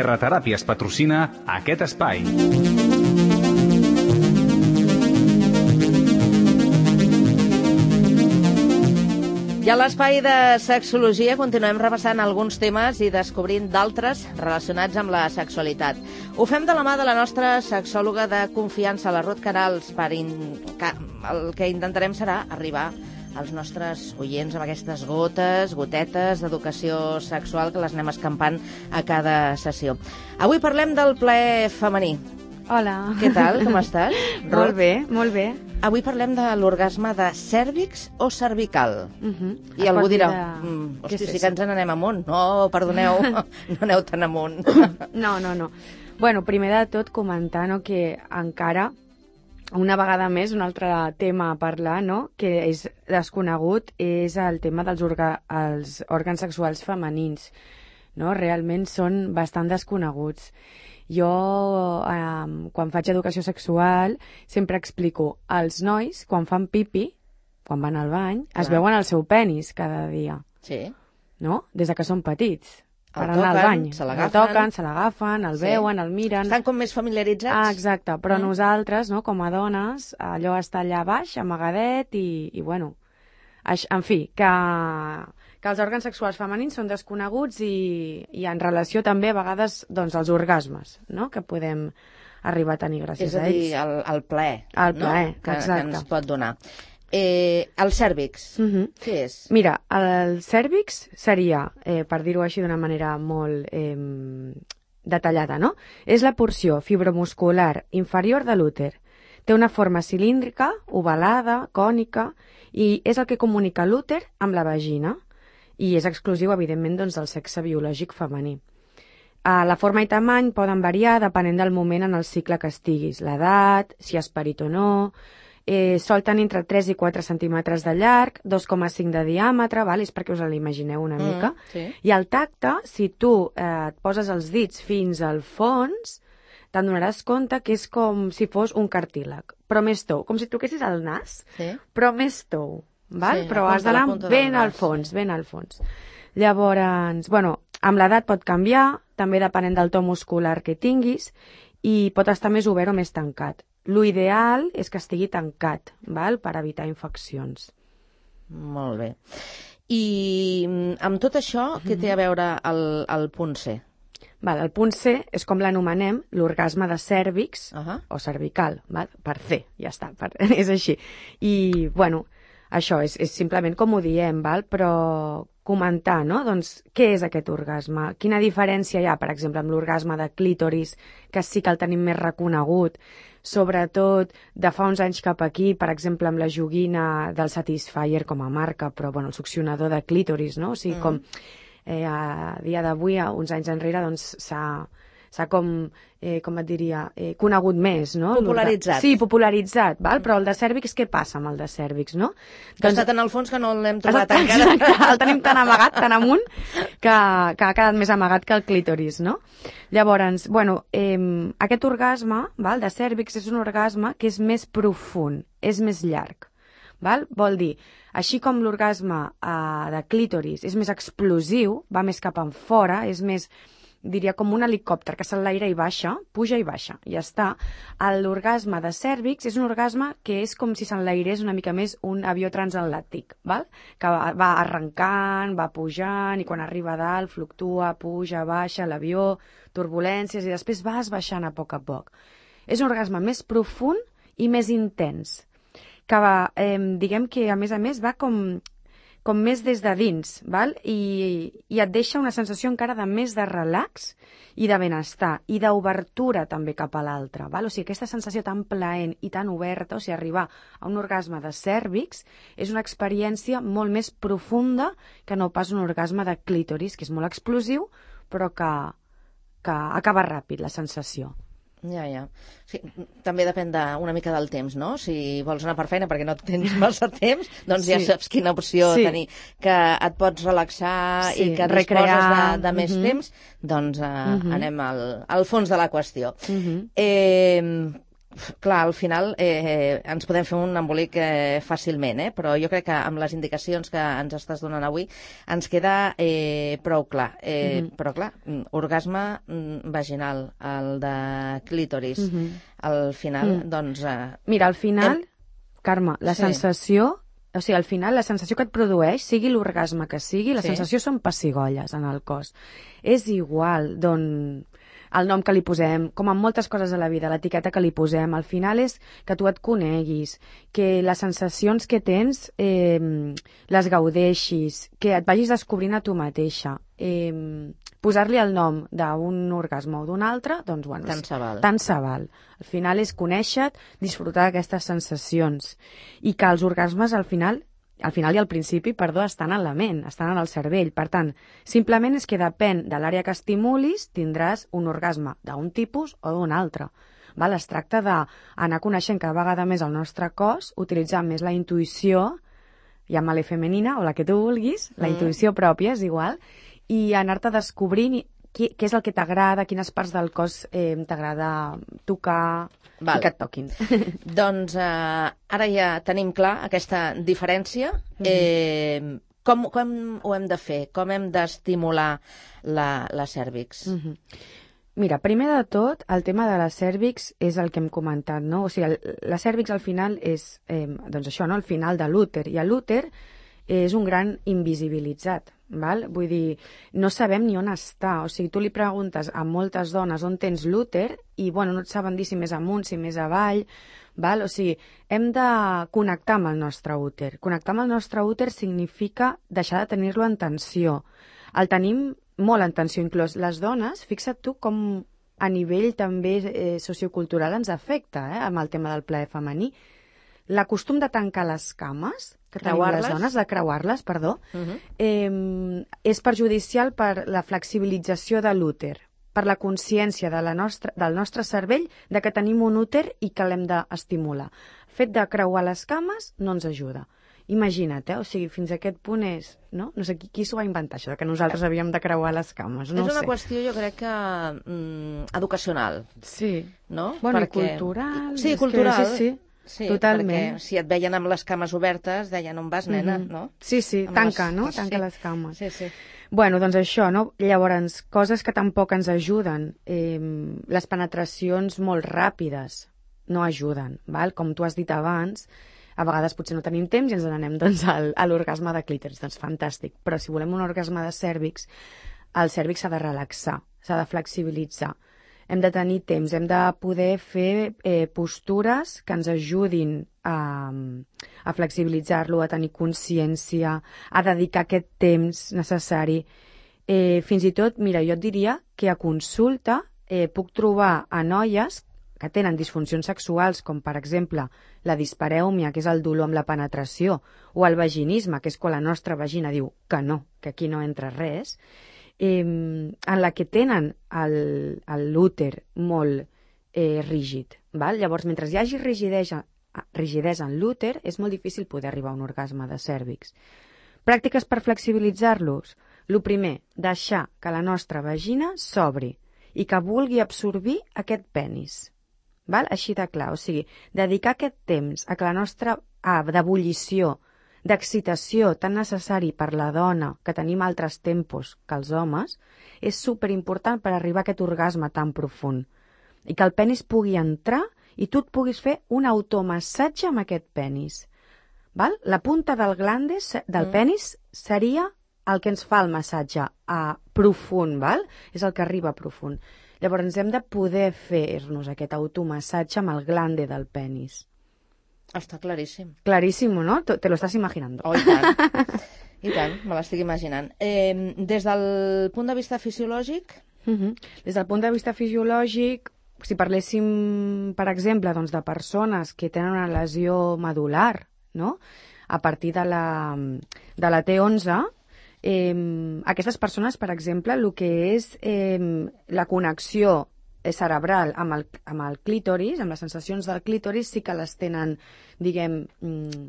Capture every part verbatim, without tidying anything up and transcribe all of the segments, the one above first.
Terrateràpies patrocina aquest espai. I a l'espai de sexologia continuem repassant alguns temes i descobrint d'altres relacionats amb la sexualitat. Ho fem de la mà de la nostra sexòloga de confiança, la Ruth Canals. Per in... El que intentarem serà arribar als nostres oients amb aquestes gotes, gotetes d'educació sexual que les anem escampant a cada sessió. Avui parlem del plaer femení. Hola. Què tal? Com estàs? Molt bé, molt bé. Avui parlem de l'orgasme de cèrvix o cervical. Uh -huh. I es algú dirà, de... mm, hosti, sí que ens n'anem amunt. No, perdoneu, no aneu tan amunt. No, no, no. Bueno, primer de tot comentar, no, que encara, una vegada més, un altre tema a parlar, no, que és desconegut, és el tema dels orga... els òrgans sexuals femenins. No? Realment són bastant desconeguts. Jo, eh, quan faig educació sexual, sempre explico als nois, quan fan pipi, quan van al bany, Clar. es veuen el seu penis cada dia. Sí. No? Des de que són petits. El per anar toquen, al bany. se El l'agafen. toquen, se l'agafen, el Sí. veuen, el miren. Estan com més familiaritzats. Ah, exacte. Però Mm. nosaltres, no, com a dones, allò està allà baix, amagadet, i, i bueno... Aix- En fi, que, que els òrgans sexuals femenins són desconeguts i, i en relació també a vegades doncs, als orgasmes, no?, que podem arribar a tenir gràcies És a a dir, ells. el, el plaer, El plaer, no? que, exacte. que ens pot donar. Eh, el cèrvix, Uh -huh. què és? Mira, el cèrvix seria, eh, per dir-ho així d'una manera molt eh, detallada, no? És la porció fibromuscular inferior de l'úter. Té una forma cilíndrica, ovalada, cònica, i és el que comunica l'úter amb la vagina, i és exclusiu, evidentment, doncs, del sexe biològic femení. Uh, la forma i tamany poden variar depenent del moment en el cicle que estiguis, l'edat, si has parit o no. Eh, sol tenir entre tres i quatre centímetres de llarg, dos coma cinc de diàmetre, val? És perquè us l'imagineu una mica. Mm, sí. I el tacte, si tu eh, et poses els dits fins al fons, te'n donaràs compte que és com si fos un cartílag, però més tou, com si toquessis el nas, Sí. però més tou, val? Sí, Però la has punta- la d'anar punta del ben al nas, fons, sí. ben al fons. Llavors, bueno, amb l'edat pot canviar, també depenent del to muscular que tinguis, i pot estar més obert o més tancat. L'ideal és que estigui tancat, val? Per evitar infeccions. Molt bé. I mm, amb tot això, què té a veure el, el punt C? Val, el punt C és com l'anomenem, l'orgasme de cèrvix, Uh -huh. o cervical, val? Per C, ja està, per, és així. I, bueno, això és, és simplement com ho diem, val? Però comentar, no? Doncs, què és aquest orgasme? Quina diferència hi ha, per exemple, amb l'orgasme de clítoris, que sí que el tenim més reconegut, sobretot de fa uns anys cap aquí, per exemple, amb la joguina del Satisfyer com a marca, però, bueno, el succionador de clítoris, no? O sigui, mm. com eh, a dia d'avui, uns anys enrere, doncs, s'ha s'ha com, eh, com et diria, eh, conegut més, no? Popularitzat. Sí, popularitzat, val? Però el de cèrvix, què passa amb el de cèrvix, no? Que doncs... està tan al fons que no l'hem trobat Exacte, encara. exacte, el tenim tan amagat, tan amunt, que, que ha quedat més amagat que el clítoris, no? Llavors, bueno, eh, aquest orgasme, val, de cèrvix, és un orgasme que és més profund, és més llarg, val? Vol dir, així com l'orgasme eh, de clítoris és més explosiu, va més cap en fora, és més, diria, com un helicòpter que s'enlaira i baixa, puja i baixa, i ja està. L'orgasme de cèrvix és un orgasme que és com si s'enlairés una mica més un avió transatlàntic, val? Que va, va arrencant, va pujant, i quan arriba a dalt fluctua, puja, baixa l'avió, turbulències, i després vas baixant a poc a poc. És un orgasme més profund i més intens, que va, eh, diguem que a més a més va com... com més des de dins, val? I, i et deixa una sensació encara de més de relax i de benestar, i d'obertura també cap a l'altre, val? O sigui, aquesta sensació tan plaent i tan oberta, o sigui, arribar a un orgasme de cèrvix és una experiència molt més profunda que no pas un orgasme de clítoris, que és molt explosiu, però que, que acaba ràpid, la sensació. Ja, ja. Sí, també depèn de, una mica del temps, no? Si vols anar per feina perquè no tens massa temps, doncs sí. Ja saps quina opció sí. tenir. Que et pots relaxar sí, i que recrear. disposes de, de més uh -huh. temps, doncs uh, uh -huh. anem al, al fons de la qüestió. Uh -huh. eh, clar, al final eh, ens podem fer un embolic eh, fàcilment, eh? Però jo crec que amb les indicacions que ens estàs donant avui ens queda eh, prou clar. Eh, mm-hmm. Però clar, orgasme vaginal, el de clítoris, mm-hmm. al final, mm. doncs... Eh, Mira, al final, hem... Carme, la sí. sensació... O sigui, al final, la sensació que et produeix, sigui l'orgasme que sigui, la sí. sensació són pessigolles en el cos. És igual d'on... el nom que li posem, com en moltes coses de la vida, l'etiqueta que li posem, al final és que tu et coneguis, que les sensacions que tens eh, les gaudeixis, que et vagis descobrint a tu mateixa. Eh, posar-li el nom d'un orgasme o d'un altre, doncs, bueno, tant se val. Tant se val. Al final és conèixer-te, disfrutar d'aquestes sensacions. I que els orgasmes, al final, al final i al principi, perdó, estan en la ment, estan en el cervell. Per tant, simplement és que depèn de l'àrea que estimulis, tindràs un orgasme d'un tipus o d'un altre. Val? Es tracta d'anar coneixent cada vegada més el nostre cos, utilitzar més la intuïció, llama-la femenina o la que tu vulguis, la mm. intuïció pròpia, és igual, i anar-te descobrint què, què és el que t'agrada, quines parts del cos eh, t'agrada tocar, val. I que et toquin. Doncs eh, ara ja tenim clar aquesta diferència. Mm-hmm. Eh, com, com ho hem de fer? Com hem d'estimular la, la cèrvix? Mm-hmm. Mira, primer de tot, el tema de la cèrvix és el que hem comentat, no? O sigui, el, la cèrvix al final és, eh, doncs això, no? El final de l'úter, i l'úter és un gran invisibilitzat, val? Vull dir, no sabem ni on està. O sigui, tu li preguntes a moltes dones on tens l'úter i, bueno, no et saben dir si més amunt, si més avall, val? O sigui, hem de connectar amb el nostre úter. Connectar amb el nostre úter significa deixar de tenir-lo en tensió. El tenim molt en tensió, inclús les dones, fixa't tu com a nivell també eh, sociocultural ens afecta, eh, amb el tema del plaer femení. La costum de tancar les cames, que tenim les dones, de creuar-les, perdó, uh-huh. eh, és perjudicial per la flexibilització de l'úter, per la consciència de la nostra, del nostre cervell de que tenim un úter i que l'hem d'estimular. El fet de creuar les cames no ens ajuda. Imagina't, eh? O sigui, fins a aquest punt és... No, no sé qui, qui s'ho va inventar, això, que nosaltres havíem de creuar les cames. No és una sé. qüestió, jo crec que, mm, educacional. Sí. No? Bueno, perquè... i cultural. Sí, cultural. Que, sí, sí. Sí, totalment. Perquè si et veien amb les cames obertes, deien on vas, nena, mm-hmm. no? Sí, sí, amb tanca, les... no? Tanca sí. les cames. Sí, sí. Bueno, doncs això, no? Llavors, coses que tampoc ens ajuden. Eh, les penetracions molt ràpides no ajuden, val? Com tu has dit abans, a vegades potser no tenim temps i ens n'anem doncs, al, a l'orgasme de clítoris. Doncs fantàstic. Però si volem un orgasme de cèrvix, el cèrvix s'ha de relaxar, s'ha de flexibilitzar. Hem de tenir temps, hem de poder fer eh, postures que ens ajudin a, a flexibilitzar-lo, a tenir consciència, a dedicar aquest temps necessari. Eh, fins i tot, mira, jo et diria que a consulta eh, puc trobar a noies que tenen disfuncions sexuals, com per exemple la disparèumia, que és el dolor amb la penetració, o el vaginisme, que és quan la nostra vagina diu que no, que aquí no entra res, eh, en la que tenen l'úter molt eh, rígid. Val? Llavors, mentre hi hagi rigidesa, rigidesa en l'úter, és molt difícil poder arribar a un orgasme de cèrvix. Pràctiques per flexibilitzar-los. El primer, deixar que la nostra vagina s'obri i que vulgui absorbir aquest penis. Val? Així de clar, o sigui, dedicar aquest temps a que la nostra ah, d'ebullició, d'excitació tan necessari per la dona, que tenim altres tempos que els homes, és superimportant per arribar a aquest orgasme tan profund. I que el penis pugui entrar i tu et puguis fer un automassatge amb aquest penis. Val? La punta del glande, del mm. penis, seria el que ens fa el massatge a profund, val? És el que arriba a profund. Llavors hem de poder fer-nos aquest automassatge amb el glande del penis. Està claríssim. Claríssim, ¿no? Te lo estás imaginando. Oh, i tant. I tant, me l'estic imaginant. Eh, des del punt de vista fisiològic? Uh-huh. Des del punt de vista fisiològic, si parléssim, per exemple, doncs, de persones que tenen una lesió medular, no? A partir de la, de la T onze, eh, aquestes persones, per exemple, el que és eh, la connexió cerebral amb el, amb el clítoris, amb les sensacions del clítoris, sí que les tenen, diguem, mm,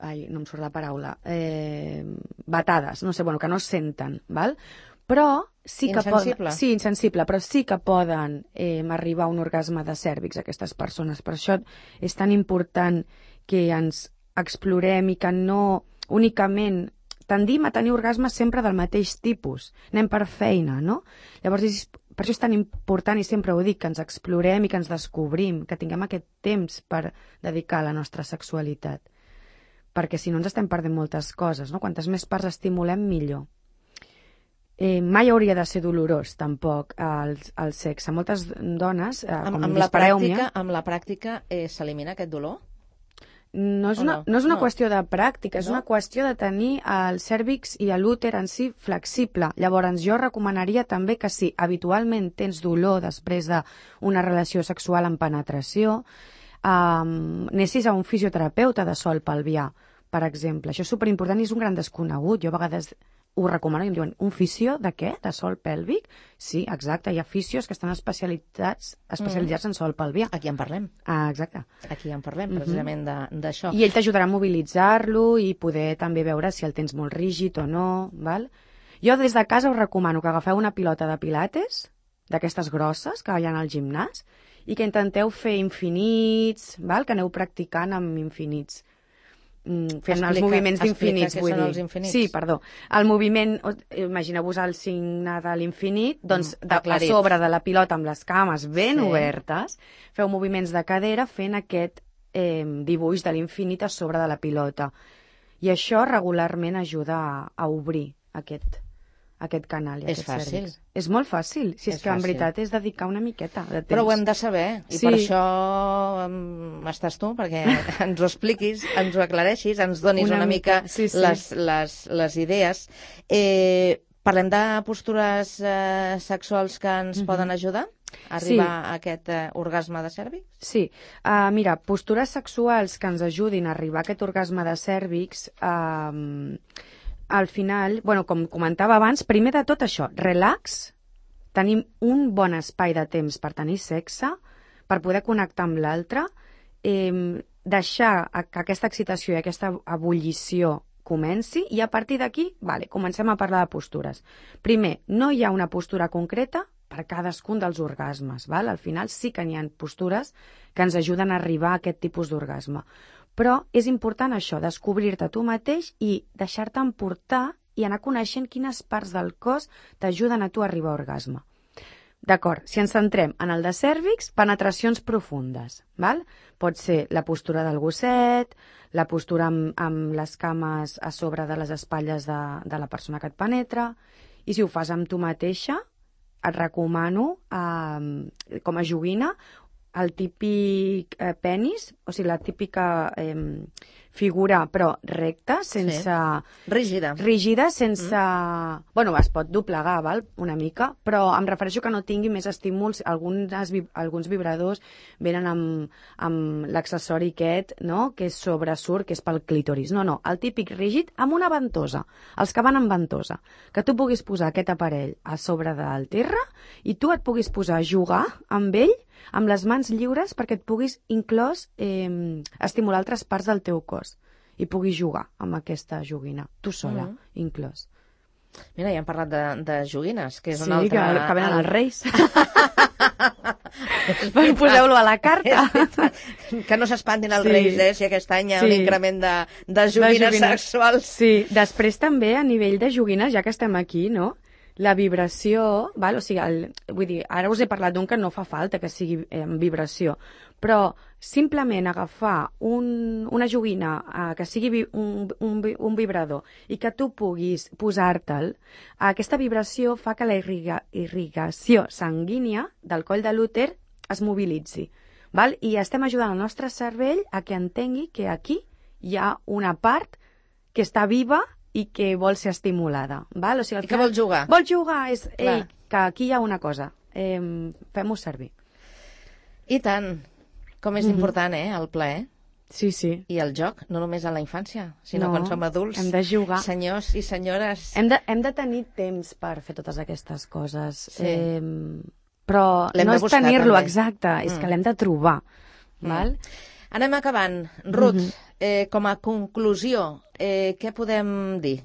ai, no em surt la paraula, eh, batades, no sé, bueno, que no senten, val? Però sí que insensible. Poden, sí, insensible, però sí que poden eh, arribar a un orgasme de cèrvix aquestes persones. Per això és tan important que ens explorem i que no únicament tendim a tenir orgasmes sempre del mateix tipus. Anem per feina, no? Llavors, és, per això és tan important, i sempre ho dic, que ens explorem i que ens descobrim, que tinguem aquest temps per dedicar a la nostra sexualitat. Perquè si no ens estem perdent moltes coses, no? Quantes més parts estimulem, millor. Eh, mai hauria de ser dolorós, tampoc, el, el sexe. Moltes dones, eh, Amb, com amb, la dispareu-m'hi, pràctica, amb la pràctica eh, s'elimina aquest dolor? no és O una, no? no és una No. qüestió de pràctica, és No? una qüestió de tenir el cèrvix i l'úter en si flexible. Llavors, jo recomanaria també que si habitualment tens dolor després d'una relació sexual amb penetració, um, anessis a un fisioterapeuta de sol pelvià, per exemple. Això és superimportant i és un gran desconegut. Jo a vegades ho recomano i em diuen, un fisio de què? De sol pèlvic? Sí, exacte, hi ha fisios que estan especialitzats especialitzats mm. en sol pelvià. Aquí en parlem. Ah, exacte. Aquí en parlem, precisament, mm-hmm. d'això. I ell t'ajudarà a mobilitzar-lo i poder també veure si el tens molt rígid o no, val? Jo des de casa us recomano que agafeu una pilota de pilates, d'aquestes grosses que hi ha al gimnàs, i que intenteu fer infinits, val? Que aneu practicant amb infinits. Mm, fent explica, els moviments d'infinits, vull dir. Infinits. Sí, perdó. El moviment, imagineu-vos el signe de l'infinit, doncs mm, de, a sobre de la pilota amb les cames ben sí. obertes, feu moviments de cadera fent aquest eh, dibuix de l'infinit a sobre de la pilota. I això regularment ajuda a, a obrir aquest, aquest canal. I és aquest fàcil. cèrvix. És molt fàcil, si és, és que fàcil. En veritat és dedicar una miqueta de temps. Però ho hem de saber, i sí. per això um, estàs tu, perquè ens ho expliquis, ens ho aclareixis, ens donis una, una mica, mica sí, sí. Les, les, les idees. Eh, parlem de postures eh, sexuals que ens mm-hmm. poden ajudar a arribar sí. a aquest eh, orgasme de cèrvix? Sí. Uh, mira, postures sexuals que ens ajudin a arribar a aquest orgasme de cèrvix... Uh, al final, bueno, com comentava abans, primer de tot això, relax, tenim un bon espai de temps per tenir sexe, per poder connectar amb l'altre, eh, deixar que aquesta excitació i aquesta ebullició comenci i a partir d'aquí, vale, comencem a parlar de postures. Primer, no hi ha una postura concreta per cadascun dels orgasmes, val? Al final sí que n'hi ha postures que ens ajuden a arribar a aquest tipus d'orgasme. Però és important això, descobrir-te tu mateix i deixar-te emportar i anar coneixent quines parts del cos t'ajuden a tu a arribar a orgasme. D'acord, si ens centrem en el de cèrvix, penetracions profundes, val? Pot ser la postura del gosset, la postura amb, amb les cames a sobre de les espatlles de, de la persona que et penetra, i si ho fas amb tu mateixa, et recomano, eh, com a joguina, el típic eh, penis, o sigui, la típica eh, figura, però recta, sense... Sí. Rígida. Rígida, sense... Mm. Bueno, es pot doblegar, val? Una mica, però em refereixo que no tingui més estímuls. Alguns, alguns vibradors venen amb, amb l'accessori aquest, no?, que sobresurt, que és pel clítoris. No, no, el típic rígid amb una ventosa. Els que van amb ventosa. Que tu puguis posar aquest aparell a sobre del terra i tu et puguis posar a jugar amb ell amb les mans lliures perquè et puguis inclòs eh, estimular altres parts del teu cos i puguis jugar amb aquesta joguina, tu sola, mm. inclòs. Mira, ja hem parlat de, de joguines, que és sí, una altra... Sí, que, que venen els reis. Poseu-lo a la carta. Que no s'espantin els sí. reis, eh, si aquest any hi ha sí. un increment de, de, joguines de joguines sexuals. Sí, després també a nivell de joguines, ja que estem aquí, no?, la vibració, val? O sigui, el, vull dir, ara us he parlat d'un que no fa falta que sigui en vibració, però simplement agafar un, una joguina eh, que sigui vi, un, un, un vibrador i que tu puguis posar-te'l, aquesta vibració fa que la irriga, irrigació sanguínia del coll de l'úter es mobilitzi, val? I estem ajudant el nostre cervell a que entengui que aquí hi ha una part que està viva i que vol ser estimulada. Val? O sigui, I que vol jugar. Vol jugar, és, ei, que aquí hi ha una cosa, eh, fem-ho servir. I tant, com és mm-hmm. important, eh, el plaer. Sí, sí. I el joc, no només a la infància, sinó no, quan som adults. Hem de jugar. Senyors i senyores. Hem de, hem de tenir temps per fer totes aquestes coses. Sí. Eh, però no és tenir-lo, exacte, és mm. que l'hem de trobar. Mm. Val? Anem acabant. Ruth, mm-hmm. eh, com a conclusió, eh, què podem dir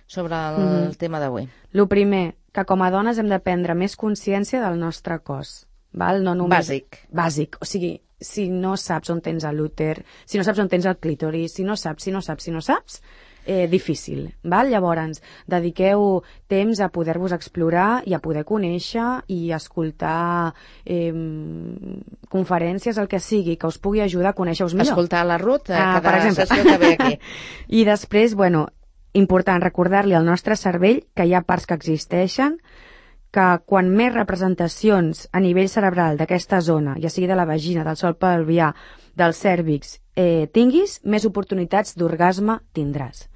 sobre el mm-hmm. tema d'avui? Lo primer, que com a dones hem de prendre més consciència del nostre cos. Val? No només... Bàsic. Bàsic. O sigui, si no saps on tens l'úter, si no saps on tens el clítoris, si no saps, si no saps, si no saps, eh, difícil. Val? Llavors, dediqueu temps a poder-vos explorar i a poder conèixer i escoltar eh, conferències, el que sigui, que us pugui ajudar a conèixer-vos millor. Escoltar la Ruth, eh, Ah, cada per exemple. sessió que ve aquí. I després, bueno, important recordar-li al nostre cervell que hi ha parts que existeixen, que quan més representacions a nivell cerebral d'aquesta zona, ja sigui de la vagina, del sòl pelvià, del cèrvix, eh, tinguis, més oportunitats d'orgasme tindràs.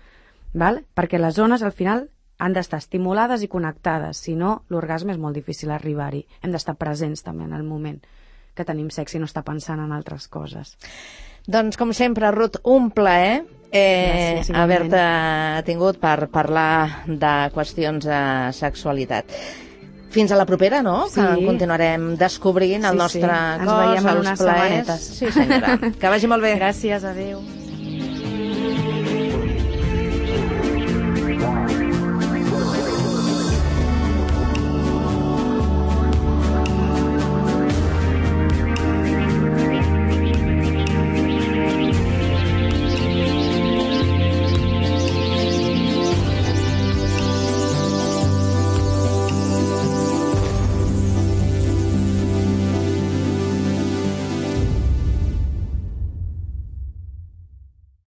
Val? Perquè les zones, al final, han d'estar estimulades i connectades, si no, l'orgasme és molt difícil arribar-hi. Hem d'estar presents també en el moment que tenim sexe i no estar pensant en altres coses. Doncs, com sempre, Ruth, un plaer eh, Gràcies, igualment. haver-te tingut per parlar de qüestions de sexualitat. Fins a la propera, no? Sí. Que continuarem descobrint el Sí, nostre sí. Ens cos, veiem en els unes plaers. setmanetes. Sí, senyora. Que vagi molt bé. Gràcies, adeu.